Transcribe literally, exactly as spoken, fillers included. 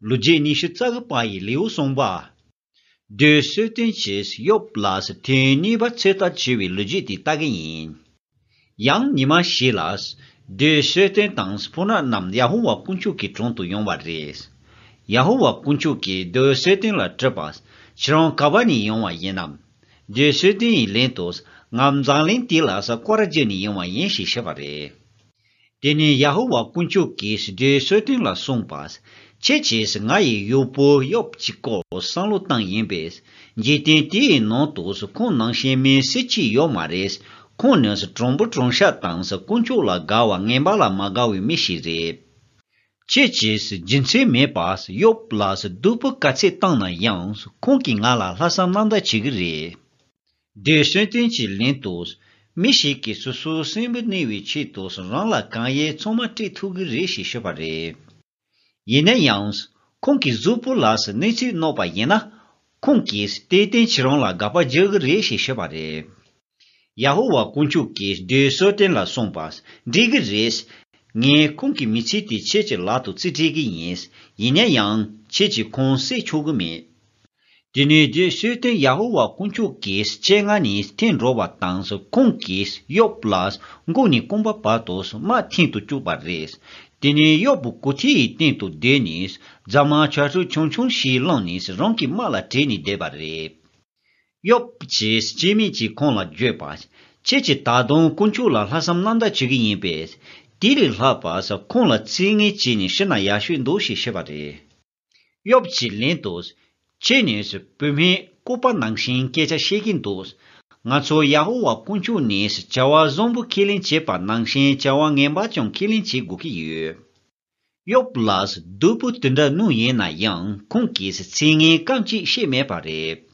ལོ་རྒྱུས་ཉི་ཤུ་རྩ་དགུ་པ་ཡི་ལེའུ་གསུམ་པ། བདུད་གསོད་རྟེན་གྱིས་ཡོབ་ལ་ཐེངས་གཉིས་པ་ཚོད་ལྟ་བྱས་པའི་ལོ་རྒྱུས་དེ་ལྟ་གི་ཡིན། ཡང་ཉི་མ་ཞིག་ལ། བདུད་གསོད་རྟེན་དང་སྤུན་ཟླ་རྣམས་ཡ་ཧོ་ཝཱ་དཀོན་མཆོག་གི་དྲུང་དུ་ཡོང་བ་རེད། ཡ་ཧོ་ཝཱ་དཀོན་མཆོག་གིས་བདུད་གསོད་རྟེན་ལ་དྲིས་པ། ཁྱེད་རང་ག་པ་ནས་ཡོང་བ་ཡིན་ནམ། བདུད་གསོད་རྟེན་ཡིས་ལན་དུ། ང་འཛམ་གླིང་འདི་ལ་སྐོར་ར་བརྒྱབ་ནས་ཡོང་བ་ཡིན་ཞེས་བཤད་པ་རེད། དེ་ནས་ཡ་ཧོ་ཝཱ་དཀོན་མཆོག་གིས་བདུད་གསོད་རྟེན་ལ་གསུངས་པ། ཁྱེད་ཀྱིས་ང་ཡི་གཡོག་པོ་ཡོབ་ཀྱི་སྐོར་བསམ་བློ་བཏང་ཡིན་པས། འཇིག་རྟེན་དེའི་ནང་དུ་ཁོང་ནང་བཞིན་མི་སུ་གཅིག་ཡོད་མ་རེད། ཁོང་ནི་དྲང་པོ་དྲང་བཞག་དང་དཀོན་མཆོག་ལ་དགའ་བ་ངན་པ་ལ་མ་དགའ་བའི་མི་ཞིག་རེད། ཁྱེད་ཀྱིས་རྒྱུ་མཚན་མེད་པར་ཡོབ་ལ་སྡུག་པོ་ག་ཚད་བཏང་ན་ཡང་ཁོང་གིས་ང་ལ་ལྷག་བསམ་རྣམ་དག་བྱེད་ཀྱི་རེད། བདུད་གསོད་རྟེན་གྱིས་ལན་དུ། མི་ཞིག་གིས་སོ་སོའི་སྲིན་བུ་གནོན་པའི་ཆེད་དུ་རང་ལ་གང་ཡོད་ཚང་མ་སྤྲད་ཐུབ་ཀྱི་རེད་ཞེས་ཤོད་པ་རེད། ཡིན་ན་ཡང་། ཁོང་གིས་གཟུགས་པོ་ལ་གནོད་འཚེ་གནང་བ་ཡིན་ན། ཁོང་གིས་དེར་བརྟེན་ཁྱེད་རང་ལ་དགག་པ་རྒྱག་གི་རེད་ཞེས་ཤོད་པ་རེད། ཡ་ཧོ་ཝཱ་དཀོན་མཆོག་གིས་བདུད་གསོད་རྟེན་ལ་གསུངས་པ། འགྲིག་གི་རེད། ངས་ཁོང་གི་མི་ཚེ་དེ་ཁྱེད་ཀྱི་ལག་ཏུ་རྩིས་སྤྲད་ཀྱི་ཡིན། ཡིན་ན་ཡང་ཁྱེད་ཀྱིས་ཁོང་བསད་ཆོག་གི་མེད། དེ་ནས་བདུད་གསོད་རྟེན་ཡ་ཧོ་ཝཱ་དཀོན་མཆོག་གི་སྤྱན་སྔ་ནས་ཐོན་འགྲོ་བ་དང་ཁོང་གིས་ཡོབ་ལ་མགོ་ནས་རྐང་པ་བར་དུ་དམག་འཐེན་དུ་བཅུག་པ་རེད། དེ་ནས་ཡོབ་གོ་ཐོས་ཡི་སྟེང་དུ་བསྡད་ནས་རྫ་མ་ཆ་ཤས་ཆུང་ཆུང་ཞིག་བླངས་ནས་རང་གི་དམག་ལ་བྲོས་ནས་བསྡད་པ་རེད། ཡོབ་ཀྱིས་སྐྱེ་དམན་གྱིས་ཁོང་ལ་བརྗོད་པ། ཁྱེད་ཀྱིས་ད་དུང་དཀོན་མཆོག་ལ་ལྷག་བསམ་རྣམ་དག་བྱེད་ཀྱི་ཡིན་པས། དེ་ལས་ལྷག་པ་ཁོང་ལ་ཚིག་ངན་བྱས་ནས་ཤི་ན་ཡག་ཤོས་འདུག་ཞེས་བཤད་པ་རེད། ཡོབ་ཀྱིས་ལན་དུ། ཁྱེད་ནི་བུད་མེད་ལྐུགས་པ་ནང་བཞིན་སྐད་ཆ་བཤད་ཀྱིན་འདུག་ང་ཚོ་ཡ་ཧོ་ཝཱ་དཀོན་མཆོག་ནས་བྱ་བ་བཟང་པོ་ཁས་ལེན་བྱེད་པ་ནང་བཞིན་བྱ་བ་ངན་པ་ཀྱང་ཁས་ལེན་བྱེད་དགོས་ཀྱི་ཡོད། ཡོབ་ལ་སྡུག་པོ་དེ་འདྲ་གནང་ཡིན་ན་ཡང་ཁོང་གིས་ཚིག་ངན་རྐང་གཅིག་བཤད་མེད་པ་རེད།